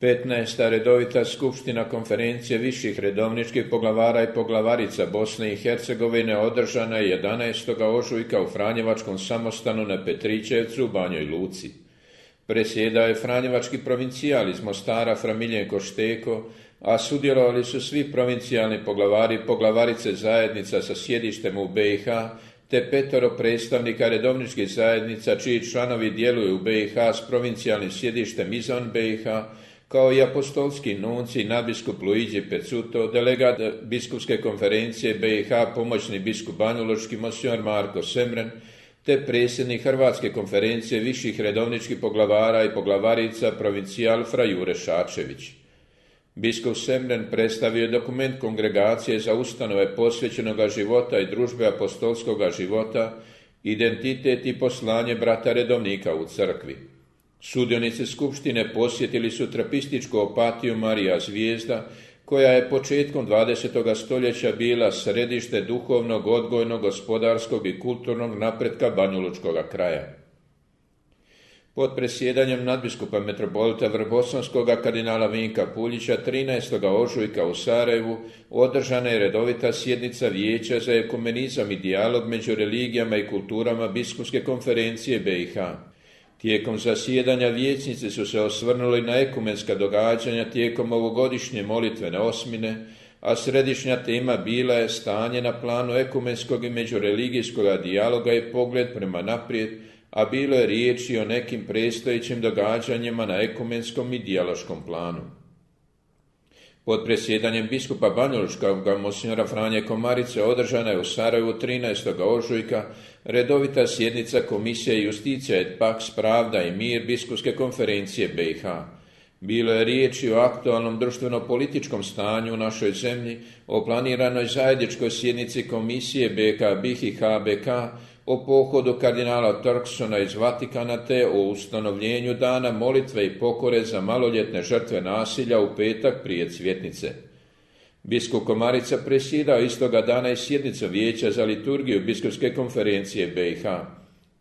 15. redovita skupština konferencije viših redovničkih poglavara i poglavarica Bosne i Hercegovine održana je 11. ožujka u Franjevačkom samostanu na Petričevcu u Banjoj Luci. Presjedao je franjevački provincijal iz Mostara Fra Miljenko Šteko, a sudjelovali su svi provincijalni poglavari i poglavarice zajednica sa sjedištem u BiH, te 5 predstavnika redovničkih zajednica čiji članovi djeluju u BiH s provincijalnim sjedištem izvan BiH, kao i apostolski nunci nadbiskup Luigi Pezzuto, delegat biskupske konferencije BiH, pomoćni biskup banjalučki monsignor Marko Semren, te predsjednik Hrvatske konferencije viših redovničkih poglavara i poglavarica provincijal Fra Jure Šačević. Biskup Semren predstavio je dokument kongregacije za ustanove posvećenoga života i družbe apostolskoga života, identitet i poslanje brata redovnika u crkvi. Sudionici skupštine posjetili su trapističku opatiju Marija Zvijezda, koja je početkom 20. stoljeća bila središte duhovnog, odgojnog, gospodarskog i kulturnog napretka banjalučkog kraja. Pod presjedanjem nadbiskupa metropolita Vrbosanskog kardinala Vinka Puljića 13. ožujka u Sarajevu održana je redovita sjednica Vijeća za ekumenizam i dijalog među religijama i kulturama biskupske konferencije BiH. Tijekom zasjedanja vijećnici su se osvrnuli na ekumenska događanja tijekom ovogodišnje molitvene osmine, a središnja tema bila je stanje na planu ekumenskog i međureligijskog dijaloga i pogled prema naprijed, a bilo je riječi o nekim predstojećim događanjima na ekumenskom i dijaloškom planu. Pod presjedanjem biskupa banjalučkog monsignora Franje Komarice održana je u Sarajevu 13. ožujka redovita sjednica Komisije Justicija et Pax Pravda i mir biskupske konferencije BiH. Bilo je riječi o aktualnom društveno-političkom stanju u našoj zemlji, o planiranoj zajedničkoj sjednici Komisije BiH i HBK, o pohodu kardinala Turksona iz Vatikana te o ustanovljenju dana molitve i pokore za maloljetne žrtve nasilja u petak prije Cvjetnice. Biskup Komarica presjedao istoga dana i sjednicu Vijeća za liturgiju biskupske konferencije BiH.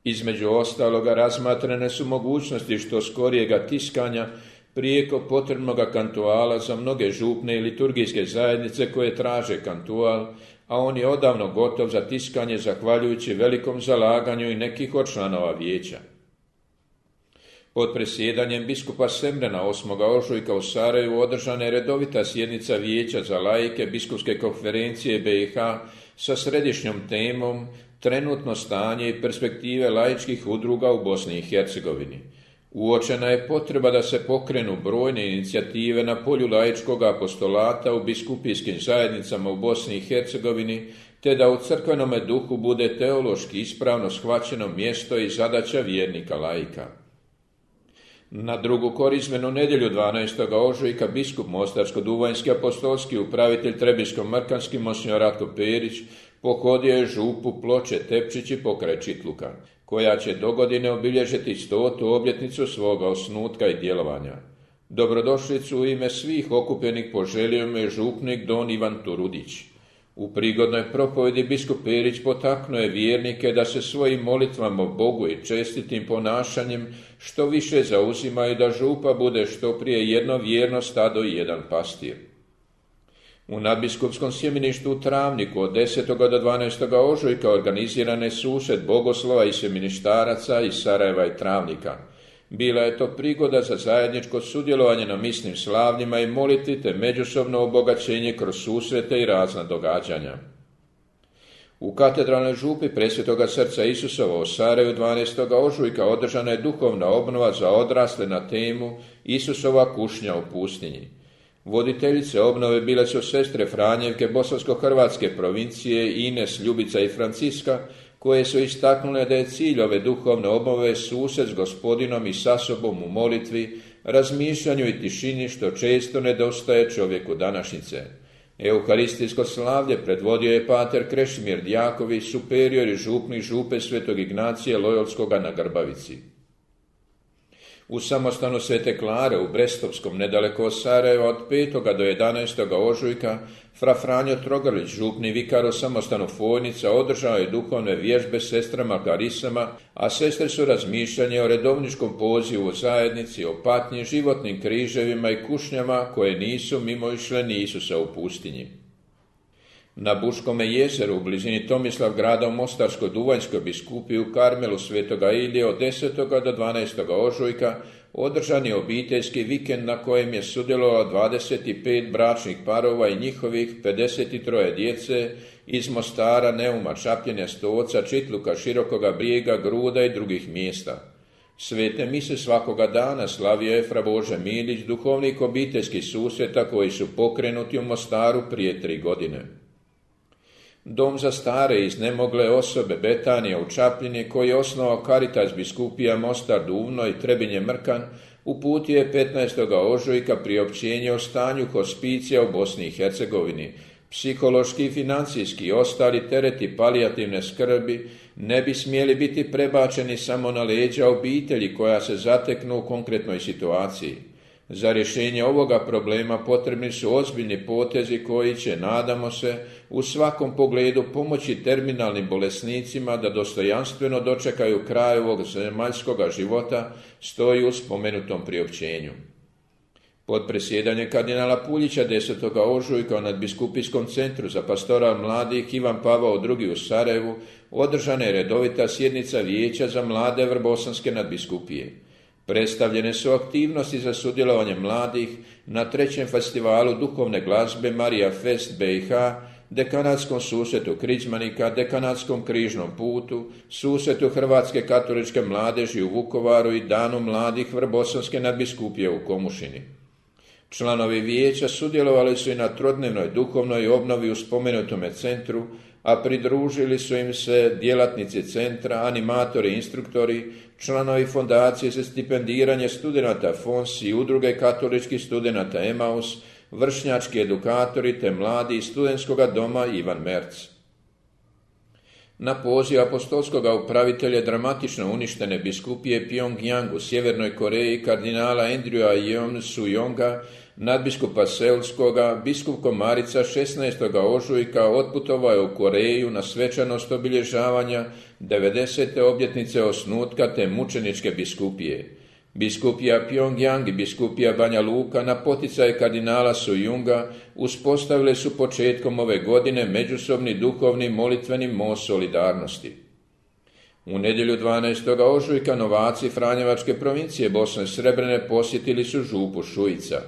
Između ostaloga razmatrane su mogućnosti što skorijega tiskanja prijeko potrebnog kantuala za mnoge župne i liturgijske zajednice koje traže kantual, a on je odavno gotov za tiskanje zahvaljujući velikom zalaganju i nekih od članova vijeća. Pod presjedanjem biskupa Semrena 8. ožujka u Sarajevu održana je redovita sjednica Vijeća za laike biskupske konferencije BiH sa središnjom temom trenutno stanje i perspektive laičkih udruga u Bosni i Hercegovini. Uočena je potreba da se pokrenu brojne inicijative na polju laičkog apostolata u biskupijskim zajednicama u Bosni i Hercegovini, te da u crkvenome duhu bude teološki ispravno shvaćeno mjesto i zadaća vjernika laika. Na drugu korizmenu nedjelju 12. ožujka biskup Mostarsko-duvanjski apostolski upravitelj Trebinsko-mrkanski monsignor Ratko Perić pohodio je župu Ploče Tepčići pokraj Čitluka, koja će dogodine obilježiti 100. obljetnicu svoga osnutka i djelovanja. Dobrodošlicu u ime svih okupljenih poželio mu je župnik don Ivan Turudić. U prigodnoj propovedi biskup Perić potaknuo je vjernike da se svojim molitvama Bogu i čestitim ponašanjem što više zauzimaju da župa bude što prije jedno vjerno stado i jedan pastir. U nadbiskupskom sjemeništu u Travniku od 10. do 12. ožujka organiziran je susret bogoslova i sjemeništaraca iz Sarajeva i Travnika. Bila je to prigoda za zajedničko sudjelovanje na misnim slavljima i molitvi te međusobno obogaćenje kroz susrete i razna događanja. U katedralnoj župi Presvetoga srca Isusova u Sarajevu 12. ožujka održana je duhovna obnova za odrasle na temu Isusova kušnja u pustinji. Voditeljice obnove bile su sestre Franjevke bosansko-hrvatske provincije Ines, Ljubica i Franciska, koje su istaknule da je cilj ove duhovne obnove susret s Gospodinom i sa sobom u molitvi, razmišljanju i tišini što često nedostaje čovjeku današnjice. Euharistijsko slavlje predvodio je pater Krešimir Djaković, superior i župnik župe Svetog Ignacije Lojolskoga na Grbavici. U samostanu Svete Klare u Brestovskom, nedaleko od Sarajeva, od 5. do 11. ožujka, fra Franjo Trogrlić, župni vikar u samostanu Fojnica, održao je duhovne vježbe s sestrama Klarisama, a sestre su razmišljanje o redovničkom pozivu u zajednici, o patnji, životnim križevima i kušnjama koje nisu mimoišle ni Isusa u pustinji. Na Buškome jezeru u blizini Tomislavgrada u Mostarsko-Duvanjskoj biskupiji u Karmelu Svetoga Ilije od 10. do 12. ožujka održan je obiteljski vikend na kojem je sudjelovalo 25 bračnih parova i njihovih 53 djece iz Mostara, Neuma, Čapljine, Stoca, Čitluka, Širokoga Brijega, Gruda i drugih mjesta. Svete mise svakoga dana slavio je fra Bože Milić, duhovnik obiteljskih susreta koji su pokrenuti u Mostaru prije 3 godine. Dom za stare i iznemogle osobe Betanija u Čapljini, koji je osnovao Caritas biskupija Mostar, Duvno i Trebinje Mrkan, uputio je 15. ožujka priopćenje o stanju hospicija u Bosni i Hercegovini. Psihološki, financijski i ostali tereti palijativne skrbi ne bi smjeli biti prebačeni samo na leđa obitelji koja se zateknu u konkretnoj situaciji. Za rješenje ovoga problema potrebni su ozbiljni potezi koji će, nadamo se, u svakom pogledu pomoći terminalnim bolesnicima da dostojanstveno dočekaju kraj ovog zemaljskoga života, stoji u spomenutom priopćenju. Pod presjedanjem kardinala Puljića 10. ožujka u nadbiskupijskom centru za pastoral mladih Ivan Pavao II u Sarajevu održana je redovita sjednica Vijeća za mlade Vrbosanske nadbiskupije. Predstavljene su aktivnosti za sudjelovanje mladih na 3. festivalu duhovne glazbe Marija Fest BiH, dekanatskom susretu Križmanika, dekanatskom križnom putu, susretu Hrvatske katoličke mladeži u Vukovaru i danu mladih Vrbosanske nadbiskupije u Komušini. Članovi vijeća sudjelovali su i na trodnevnoj duhovnoj obnovi u spomenutome centru, a pridružili su im se djelatnici centra, animatori i instruktori, članovi fondacije za stipendiranje studenata FONS i udruge katoličkih studenata Emaus, vršnjački edukatori te mladi iz studentskoga doma Ivan Merc. Na poziv apostolskog upravitelja dramatično uništene biskupije Pyongyang u Sjevernoj Koreji kardinala Andrewa Yeon Su-yonga, nadbiskupa Seulskoga, biskup Komarica 16. ožujka otputovao je u Koreju na svečanost obilježavanja 90. obljetnice osnutka te mučeničke biskupije. Biskupija Pyongyang i biskupija Banja Luka na poticaj kardinala Su-yunga uspostavile su početkom ove godine međusobni duhovni molitveni most solidarnosti. U nedjelju 12. ožujka novaci Franjevačke provincije Bosne Srebrene posjetili su župu Šujica.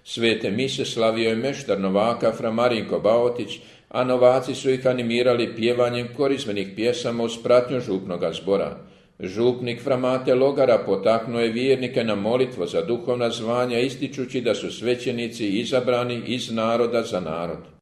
Svete mise slavio je meštar novaka fra Marinko Baotić, a novaci su ih animirali pjevanjem korizmenih pjesama uz pratnju župnoga zbora. Župnik fra Mate Logara potaknuo je vjernike na molitvu za duhovna zvanja, ističući da su svećenici izabrani iz naroda za narod.